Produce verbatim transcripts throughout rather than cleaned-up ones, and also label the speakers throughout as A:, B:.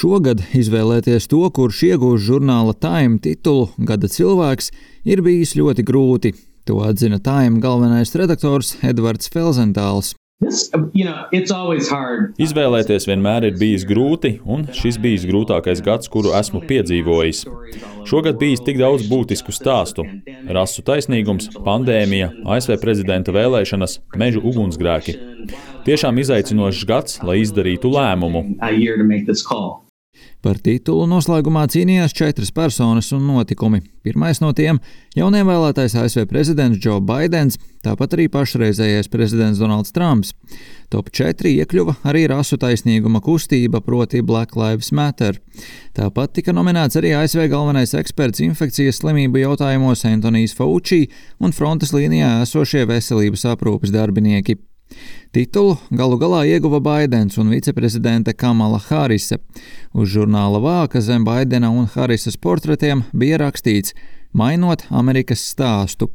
A: Šogad izvēlēties to, kurš iegūs žurnāla Time titulu Gada cilvēks, ir bijis ļoti grūti. To atzina Time galvenais redaktors Edvards Felzentāls.
B: This, you know, it's always hard.
C: Izvēlēties vienmēr ir bijis grūti, un šis bijis grūtākais gads, kuru esmu piedzīvojis. Šogad bijis tik daudz būtisku stāstu - rasu taisnīgums, pandēmija, A S V prezidenta vēlēšanas, mežu ugunsgrēki. Tiešām izaicinošs gads, lai izdarītu lēmumu.
A: Par titulu noslēgumā cīnījās četras personas un notikumi. Pirmais no tiem - jaunievēlētais A S V prezidents Džo Baidens, tāpat arī pašreizējais prezidents Donalds Trumps. Top četri iekļuva arī rasu taisnīguma kustība, proti Black Lives Matter. Tāpat tika nominēts arī A S V galvenais eksperts infekcijas slimību jautājumos Antonijs Fauci un frontes līnijā esošie veselības aprūpes darbinieki. Titulu galu galā ieguva Baidens un viceprezidente Kamala Harise. Uz žurnāla vāka zem Baidena un Harises portretiem bija rakstīts "Mainot Amerikas stāstu".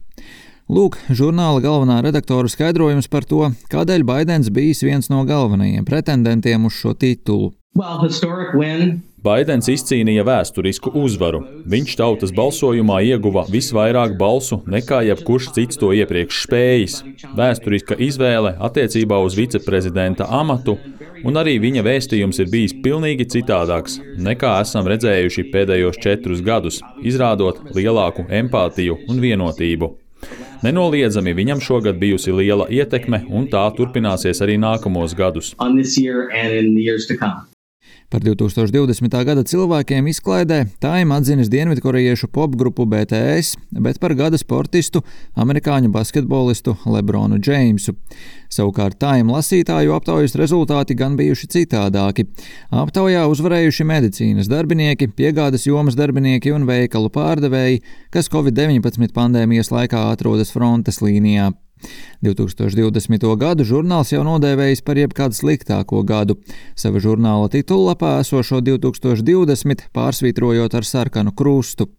A: Lūk, žurnāla galvenā redaktora skaidrojums par to, kādēļ Baidens bijis viens no galvenajiem pretendentiem uz šo titulu.
B: Well, historic win.
C: Baidens izcīnīja vēsturisku uzvaru. Viņš tautas balsojumā ieguva visvairāk balsu nekā jebkurš cits to iepriekš spējis. Vēsturiska izvēle attiecībā uz viceprezidenta amatu, un arī viņa vēstījums ir bijis pilnīgi citādāks, nekā esam redzējuši pēdējos četrus gadus, izrādot lielāku empātiju un vienotību. Nenoliedzami viņam šogad bijusi liela ietekme, un tā turpināsies arī nākamos gadus.
A: Par divtūkstoš divdesmitā gada cilvēkiem izklaidē Time atzinis dienvidkorejiešu popgrupu B T S, bet par gada sportistu amerikāņu basketbolistu Lebronu Džeimsu. Savukārt Time lasītāju aptaujas rezultāti gan bijuši citādāki. Aptaujā uzvarējuši medicīnas darbinieki, piegādes jomas darbinieki un veikalu pārdevēji, kas Covid deviņpadsmit pandēmijas laikā atrodas frontes līnijā. divtūkstoš divdesmito gadu žurnāls jau nodēvējis par jebkādu sliktāko gadu. Sava žurnāla titullapā esošo divtūkstoš divdesmit pārsvītrojot ar sarkanu krustu.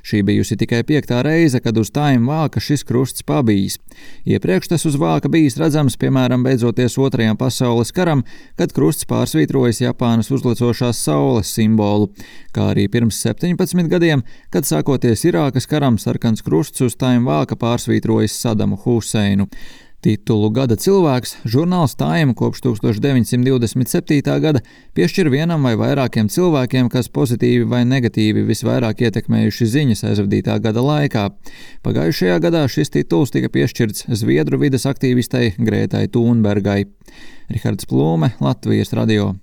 A: Šī bijusi tikai piektā reize, kad uz Time vāka šis krusts pabijis. Iepriekš tas uz vāka bijis redzams, piemēram, beidzoties otrajam pasaules karam, kad krusts pārsvītrojas Japānas uzlecošās saules simbolu, kā arī pirms septiņpadsmit gadiem, kad sākoties Irākas karam sarkans krusts uz Time vāka pārsvītrojas Sadamu Huseinu. Titulu Gada cilvēks žurnāls Time kopš tūkstoš deviņsimt divdesmit septītā gada piešķir vienam vai vairākiem cilvēkiem, kas pozitīvi vai negatīvi visvairāk ietekmējuši ziņas aizvadītā gada laikā. Pagājušajā gadā šis tituls tika piešķirts Zviedru vides aktīvistei Grētai Thunbergai. Rihards Plūme, Latvijas radio.